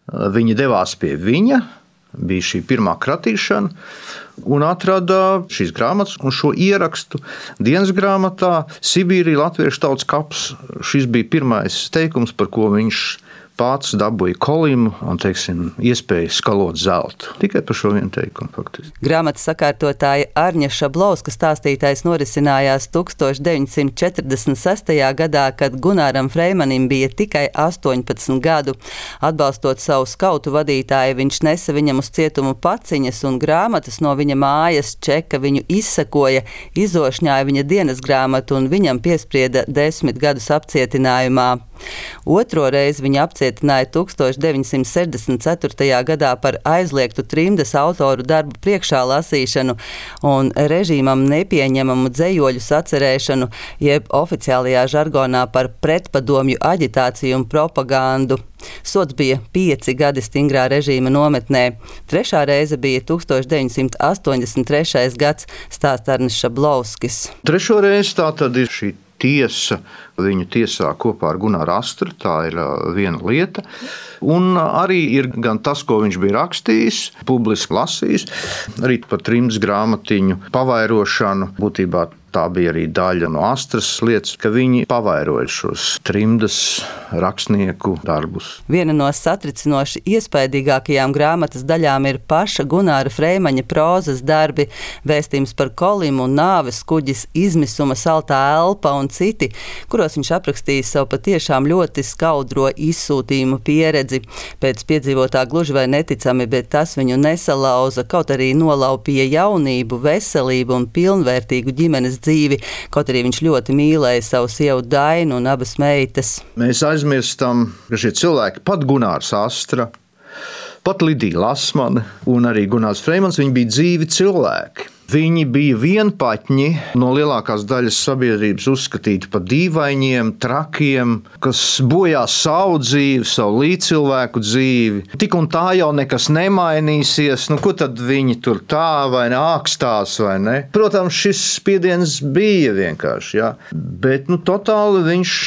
Viņi devās pie viņa, bija šī pirmā kratīšana, un atrada šīs grāmatas un šo ierakstu dienas grāmatā Sibīrija latviešu tautas kaps. Šis bija pirmais teikums, par ko viņš pats dabūja kolimu un, iespēju skalot zeltu. Tikai par šo vienu teikumu, faktiski. Grāmatas sakārtotāja Arņa Šablauska stāstītais norisinājās 1946. gadā, kad Gunaram Freimanim bija tikai 18 gadu. Atbalstot savu skautu vadītāju, viņš nesa viņam uz cietumu paciņas un grāmatas no viņa mājas, čeka viņu izsekoja, izošņāja viņa dienas grāmatu un viņam piesprieda 10 gadus apcietinājumā. Otro reizi viņa apcietināja 1964. gadā par aizliegtu trimdas autoru darbu priekšā lasīšanu un režīmam nepieņemamu dzejoļu sacerēšanu, jeb oficiālajā žargonā par pretpadomju aģitāciju un propagandu. Sods bija 5 gadi stingrā režīma nometnē. Trešā reize bija 1983. gads, stāsta Arnis Šablauskis. Trešo reizi tā tad ir šī tiesa. Viņu tiesā kopā ar Gunaru Astru, tā ir viena lieta. Un arī ir gan tas, ko viņš bija rakstījis, publiski lasījis, arī par trimdas grāmatiņu pavairošanu. Būtībā tā bija arī daļa no Astras lietas, ka viņi pavairoja šos trimdas rakstnieku darbus. Viena no satricinoši iespaidīgākajām grāmatas daļām ir paša Gunara Freimaņa prózas darbi, vēstījums par Kolimu, nāves kuģis, izmisuma saltā elpa un citi, kuros viņš aprakstījis savu patiešām ļoti skaudro izsūtījumu pieredzi. Pēc piedzīvotā gluži vai neticami, bet tas viņu nesalauza, kaut arī nolaupīja jaunību, veselību un pilnvērtīgu ģimenes dzīvi, kaut arī viņš ļoti mīlēja savu sievu Dainu un abas meitas. Mēs aizmirstam, ka šie cilvēki, pat Gunārs Astra, pat Lidija Lasmane un arī Gunārs Freimans, viņi bija dzīvi cilvēki. Viņi bija vienpaķņi, no lielākās daļas sabiedrības uzskatīti par dīvainiem, trakiem, kas bojā savu dzīvi, savu līdzcilvēku dzīvi. Tik un tā jau nekas nemainīsies, ko tad viņi tur tā vai ne ākstās vai ne? Protams, šis spiediens bija vienkārši, jā. Bet totāli viņš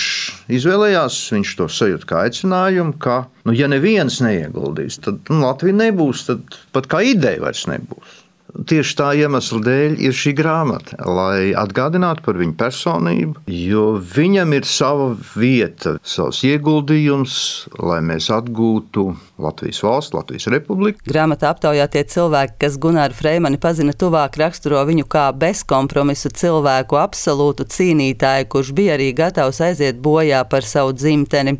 izvēlējās, viņš to sajūt kā aicinājumu, ka, ja neviens neieguldīs, tad Latvija nebūs, tad pat kā ideja vairs nebūs. Tieši tā iemesla dēļ ir šī grāmata, lai atgādinātu par viņu personību, jo viņam ir sava vieta, savs ieguldījums, lai mēs atgūtu Latvijas valsts, Latvijas republiku. Grāmatā aptaujātie cilvēki, kas Gunaru Freimani pazina tuvāk, raksturo viņu kā bezkompromisu cilvēku, absolūtu cīnītāju, kurš bija arī gatavs aiziet bojā par savu dzimteni.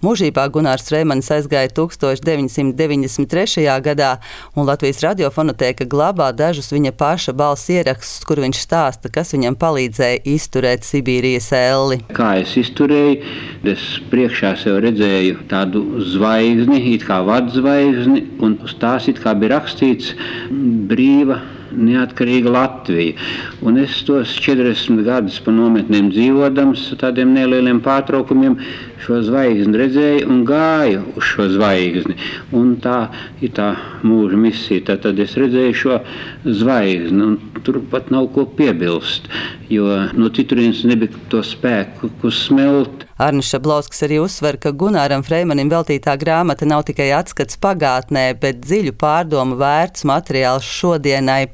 Mūžībā Gunārs Freimanis aizgāja 1993. gadā, un Latvijas radiofonotēka glabā dažus viņa paša balss ierakstus, kur viņš stāsta, kas viņam palīdzēja izturēt Sibīrijas elli. Kā es izturēju, es priekšā sev redzēju tādu zvaigzni, it kā vadzvaigzni, un uz tās it kā bija rakstīts brīva, neatkarīga Latvija. Un es tos 40 gadus pa nometnēm dzīvodams, tādiem nelieliem pārtraukumiem, šo zvaigzni redzēju un gāju uz šo zvaigzni. Un tā ir tā mūža misija. Tad es redzēju šo zvaigzni, un tur pat nav ko piebilst, jo no citurienes nebija to spēku, ko smelt. Arnis Šablauskis arī uzsver, ka Gunaram Freimanim veltītā grāmata nav tikai atskats pagātnē, bet dziļu pārdomu vērts materiāls šodienai.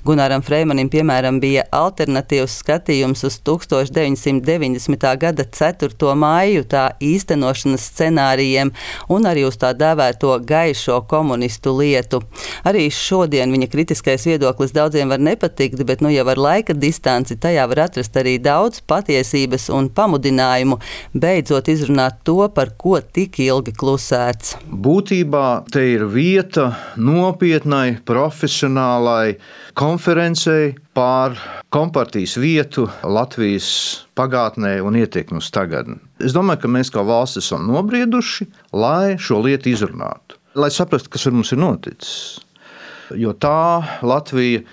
Gunaram Freimanim, piemēram, bija alternatīvs skatījums uz 1990. gada 4. maiju tā īstenošanas scenārijiem un arī uz tā dēvēto gaišo komunistu lietu. Arī šodien viņa kritiskais viedoklis daudziem var nepatikt, bet jau ar laika distanci tajā var atrast arī daudz patiesības un pamudinājumu beidzot izrunāt to, par ko tik ilgi klusēts. Būtībā te ir vieta nopietnai, profesionālai konferencei pār kompartijas vietu Latvijas pagātnē un ietekmi uz tagadni. Es domāju, ka mēs kā valsts esam nobrieduši, lai šo lietu izrunātu, lai saprastu, kas ar mums ir noticis. Jo tā Latvija,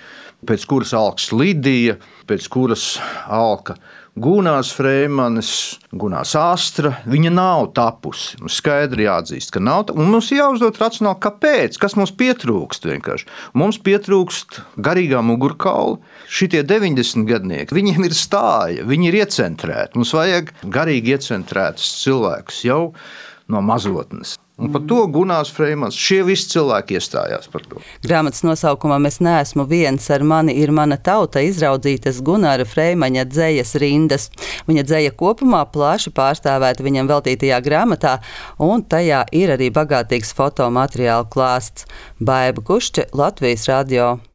pēc kuras alks Lidija, pēc kuras alka Gunārs Freimanis, Gunārs Astra, viņa nav tapusi. Mums skaidri jāatzīst, ka nav. Un mums jāuzdod racionāli, kāpēc, kas mums pietrūkst vienkārši. Mums pietrūkst garīgā mugurkaula. Šitie 90 gadnieki, viņiem ir stāja, viņi ir iecentrēti. Mums vajag garīgi iecentrētus cilvēkus jau no mazotnes. Un par to Gunārs Freimans, šie visi cilvēki iestājās par to. Grāmatas nosaukumā "Es neesmu viens, ar mani ir mana tauta" izraudzītas Gunāra Freimaņa dzejas rindas. Viņa dzeja kopumā plaši pārstāvēta viņam veltītajā grāmatā, un tajā ir arī bagātīgs fotomateriālu klāsts. Baiba Kušķe, Latvijas radio.